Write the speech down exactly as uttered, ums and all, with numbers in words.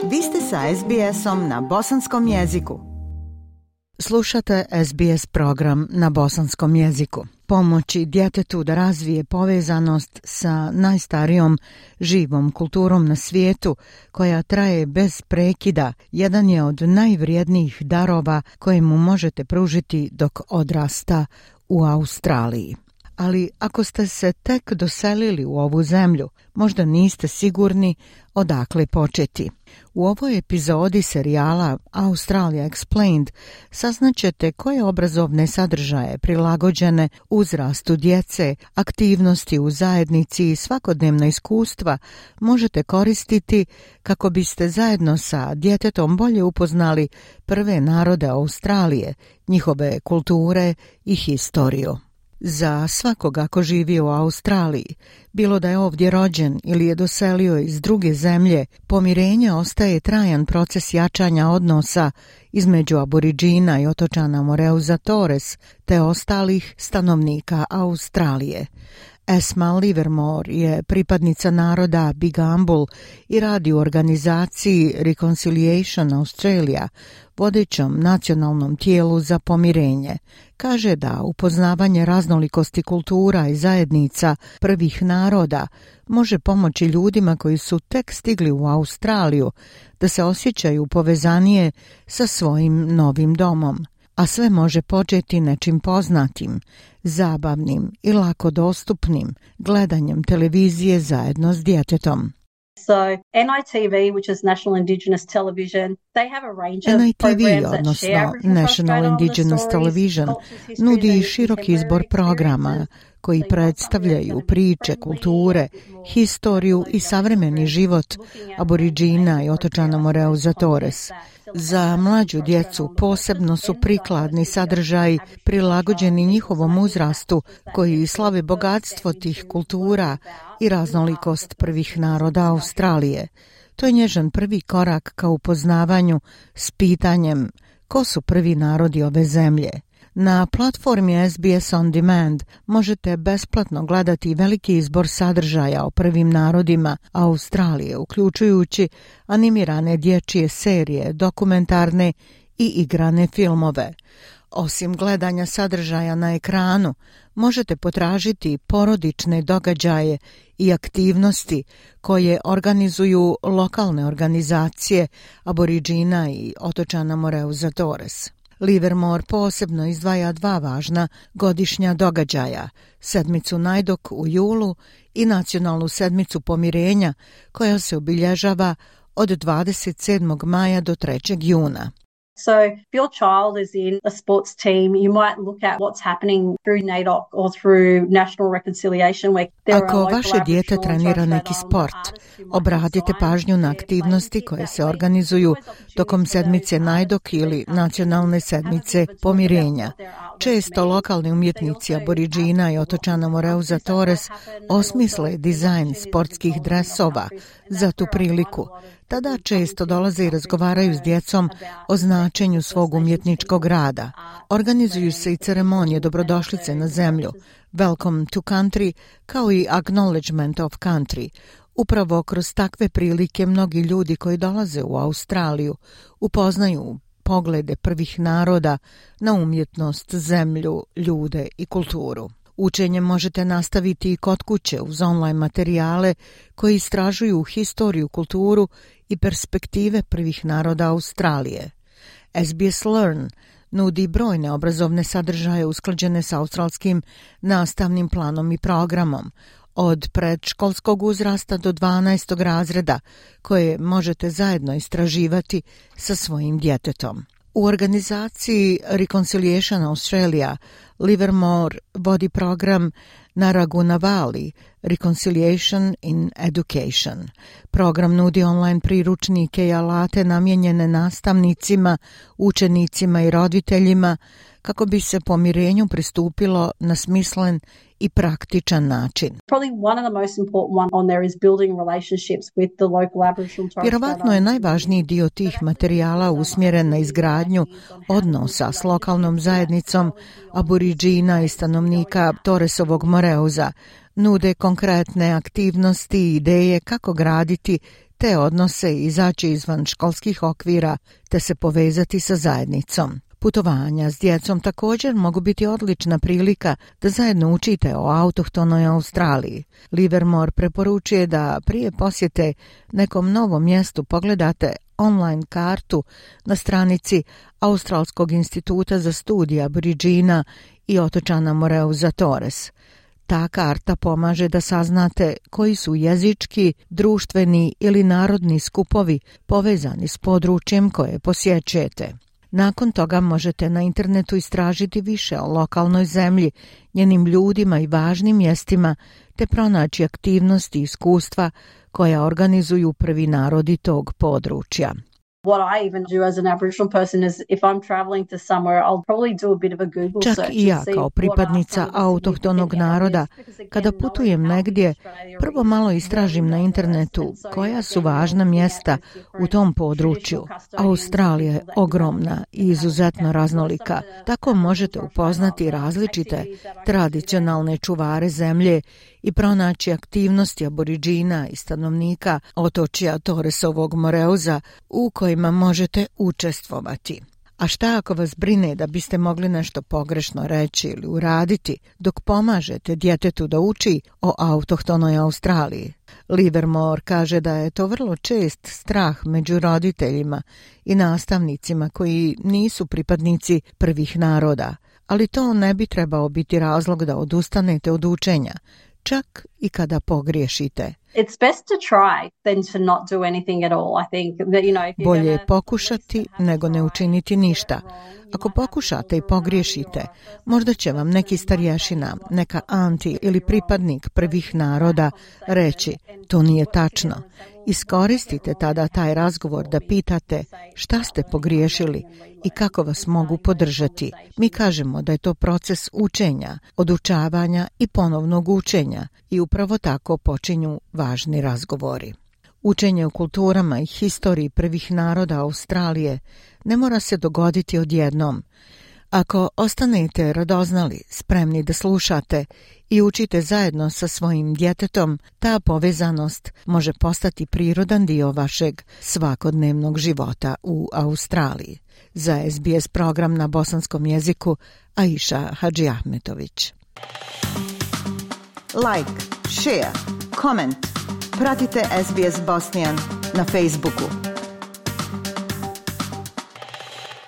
Vi ste sa es bi esom na bosanskom jeziku. Slušate es bi es program na bosanskom jeziku. Pomoći djetetu da razvije povezanost sa najstarijom živom kulturom na svijetu, koja traje bez prekida, jedan je od najvrijednijih darova koje mu možete pružiti dok odrasta u Australiji. Ali ako ste se tek doselili u ovu zemlju, možda niste sigurni odakle početi. U ovoj epizodi serijala Australia Explained saznaćete koje obrazovne sadržaje prilagođene uzrastu djece, aktivnosti u zajednici i svakodnevna iskustva možete koristiti kako biste zajedno sa djetetom bolje upoznali prve narode Australije, njihove kulture i historiju. Za svakoga ko živi u Australiji, bilo da je ovdje rođen ili je doselio iz druge zemlje, pomirenje ostaje trajan proces jačanja odnosa između Aboriđina i otočana Moreuza Torres te ostalih stanovnika Australije. Esma Livermore je pripadnica naroda Bigambul i radi u organizaciji Reconciliation Australia, vodećom nacionalnom tijelu za pomirenje. Kaže da upoznavanje raznolikosti kultura i zajednica prvih naroda može pomoći ljudima koji su tek stigli u Australiju da se osjećaju povezanije sa svojim novim domom. A sve može početi nečim poznatim, zabavnim i lako dostupnim, gledanjem televizije zajedno s djetetom. So N I T V, which is National Indigenous Television, they have a range of N I T V, programs that odnosno share Aboriginal National Indigenous Television, nudi široki izbor programa koji predstavljaju priče, kulture, historiju i savremeni život Aboriđina i otočana Moreuza Torres. Za mlađu djecu posebno su prikladni sadržaji prilagođeni njihovom uzrastu koji slave bogatstvo tih kultura i raznolikost prvih naroda Australije. To je nježan prvi korak ka upoznavanju s pitanjem ko su prvi narodi ove zemlje. Na platformi es bi es On Demand možete besplatno gledati veliki izbor sadržaja o prvim narodima Australije, uključujući animirane dječje serije, dokumentarne i igrane filmove. Osim gledanja sadržaja na ekranu, možete potražiti porodične događaje i aktivnosti koje organizuju lokalne organizacije Aboriđina i otočana Moreuza Torres. Livermore posebno izdvaja dva važna godišnja događaja, sedmicu Najdok u julu i nacionalnu sedmicu pomirenja koja se obilježava od dvadeset sedmog maja do trećeg juna. So if your child is in a sports team, you might look at what's happening through N A D O C or through National Reconciliation Week. Ako vaše dijete trenira neki sport, obratite pažnju na aktivnosti koje se organizuju tokom sedmice N A D O C ili nacionalne sedmice pomirenja. Često lokalni umjetnici Aboriđina i otočana Moreuza Torres osmisle dizajn sportskih dresova za tu priliku. Tada često dolaze i razgovaraju s djecom o značenju svog umjetničkog rada. Organizuju se i ceremonije dobrodošlice na zemlju, Welcome to Country, kao i Acknowledgement of Country. Upravo kroz takve prilike mnogi ljudi koji dolaze u Australiju upoznaju poglede prvih naroda na umjetnost, zemlju, ljude i kulturu. Učenje možete nastaviti i kod kuće uz online materijale koji istražuju historiju, kulturu i perspektive prvih naroda Australije. es bi es Learn nudi brojne obrazovne sadržaje usklađene sa australskim nastavnim planom i programom, od predškolskog uzrasta do dvanaestog razreda, koje možete zajedno istraživati sa svojim djetetom. U organizaciji Reconciliation Australia Livermore vodi program Narragunnavali Reconciliation in Education. Program nudi online priručnike i alate namijenjene nastavnicima, učenicima i roditeljima kako bi se pomirenju pristupilo na smislen i praktičan način. Vjerovatno je najvažniji dio tih materijala usmjeren na izgradnju odnosa s lokalnom zajednicom Aboriđina i stanovnika Torresovog Moreuza. Nude konkretne aktivnosti i ideje kako graditi te odnose i izaći izvan školskih okvira te se povezati sa zajednicom. Putovanja s djecom također mogu biti odlična prilika da zajedno učite o autohtonoj Australiji. Livermore preporučuje da prije posjete nekom novom mjestu pogledate online kartu na stranici Australskog instituta za studije Aboriđina i otočana Moreuza Torres. Ta karta pomaže da saznate koji su jezički, društveni ili narodni skupovi povezani s područjem koje posjećujete. Nakon toga možete na internetu istražiti više o lokalnoj zemlji, njenim ljudima i važnim mjestima, te pronaći aktivnosti i iskustva koja organizuju prvi narodi tog područja. What I even do as an Aboriginal person is if I'm traveling to somewhere, I'll probably do a bit of a Google search. Čak i ja kao pripadnica autohtonog naroda, kada putujem negdje, prvo malo istražim na internetu koja su važna mjesta u tom području. Australija je ogromna i izuzetno raznolika, tako možete upoznati različite tradicionalne čuvare zemlje i pronaći aktivnosti Aboriđina i stanovnika otočja Torresovog Moreuza u kojima možete učestvovati. A šta ako vas brine da biste mogli nešto pogrešno reći ili uraditi dok pomažete djetetu da uči o autohtonoj Australiji? Livermore kaže da je to vrlo čest strah među roditeljima i nastavnicima koji nisu pripadnici prvih naroda, ali to ne bi trebao biti razlog da odustanete od učenja, čak i kada pogriješite. It's best to try than to not do anything at all. I think that, you know, if you're Bolje je pokušati nego ne učiniti ništa. Ako pokušate i pogriješite, možda će vam neki starješina, neka anti ili pripadnik prvih naroda reći to nije tačno. Iskoristite tada taj razgovor da pitate šta ste pogriješili i kako vas mogu podržati. Mi kažemo da je to proces učenja, odučavanja i ponovnog učenja i upravo tako počinju važni razgovori. Učenje o kulturama i historiji prvih naroda Australije ne mora se dogoditi odjednom. Ako ostanete radoznali, spremni da slušate i učite zajedno sa svojim djetetom, ta povezanost može postati prirodan dio vašeg svakodnevnog života u Australiji. Za S B S program na bosanskom jeziku, Aisha Hadžiahmetović. Like, share, comment. Pratite S B S Bosnian na Facebooku.